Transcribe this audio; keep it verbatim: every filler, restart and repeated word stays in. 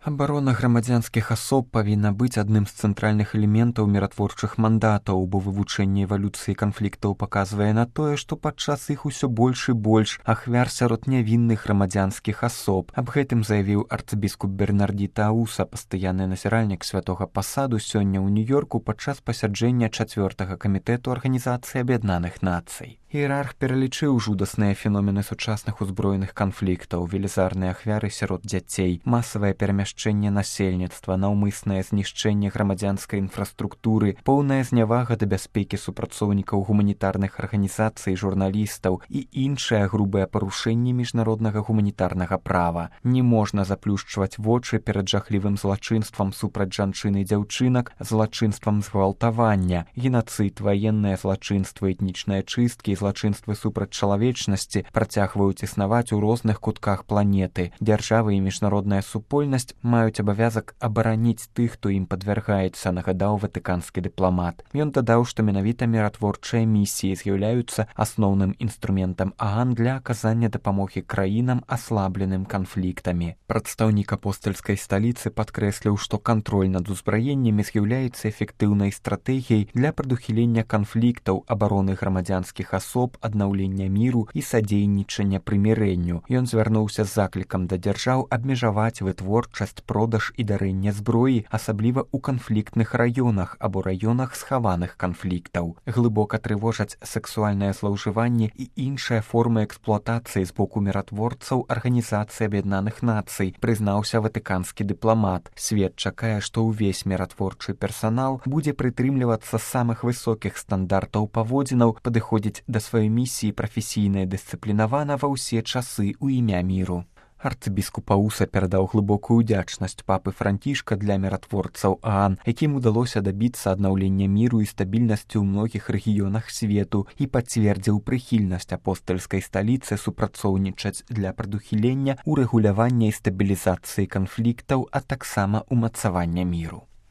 Абарона грамадзянскіх асоб павінна быць адным з цэнтральных элементаў міратворчых мандатаў, бо вывучэнне эвалюцыі канфліктаў паказвае на тое, што падчас іх усё больш і больш ахвяр сярод нявінных грамадзянскіх асоб. Аб гэтым заявіў арцыбіскуп Бернардзі Тауса, пастаянны назіральнік святога пасаду, сёння ў Нью-Йорку падчас пасяджэння чацвёртага камітэту Арганізацыі Аб'яднаных Нацый. Іерарх пералічыў жудасныя феномены сучасных узброеных канфліктаў, велізарныя ахвяры сярод дзяцей, масавае перамяшчэнне насельніцтва, наўмыснае знішчэнне грамадзянскай інфраструктуры, поўная знявага да бяспекі супрацоўнікаў гуманітарных арганізацый, журналістаў і іншыя грубыя парушэнні міжнароднага гуманітарнага права. Не можна заплюшчваць вочы перад жахлівым злачынствам супраць жанчын і дзяўчынак, злачынствам згвалтавання, генацыд, ваенныя злачынствы, этнічныя чысткі, злачынствы супраць чалавечнасці працягваюць існаваць у розных кутках планеты. Дзяржавы і міжнародная супольнасць маюць абавязак абараніць тых, хто ім падвяргаецца, нагадаў ватыканскі дыпламат. Ён дадаў, што менавіта міратворчыя місіі з'яўляюцца асноўным інструментам ААН для аказання дапамогі краінам, аслабленым канфліктамі. Прадстаўнік апостальскай сталіцы падкрэсліў, што кантроль над узбраеннямі з'яўляецца эфектыўнай стратэгіяй для прадухілення канфліктаў, абароны грамадзянскіх асоб, асоб, аднаўлення міру і садзейнічання прымірэнню. Ён звярнуўся з заклікам да дзяржаў абмежаваць вытворчасць, продаж і дарэнне зброі, асабліва ў канфліктных раёнах або раёнах схаваных канфліктаў. Глыбока трывожаць сексуальнае злоўжыванне і іншыя формы эксплуатацыі з боку міратворцаў Арганізацыі Аб'яднаных Нацый, прызнаўся ватыканскі дыпламат. Свет чакае, што ўвесь міратворчы персанал будзе прытрымлівацца самых высокіх стандартаў паводзінаў, падыходзіць да сваёй місіі прафесійна і дысцыплінавана ва ўсе часы ў імя міру. Арцыбіскуп Ауса перадаў глыбокую ўдзячнасць папы Францішка для міратворцаў ААН, якім удалося дабіцца аднаўлення міру і стабільнасці ў многіх рэгіёнах свету, і пацвердзіў прыхільнасць апостальскай сталіцы супрацоўнічаць для прадухілення, урэгулявання і стабілізацыі канфліктаў, а таксама ўмацавання міру.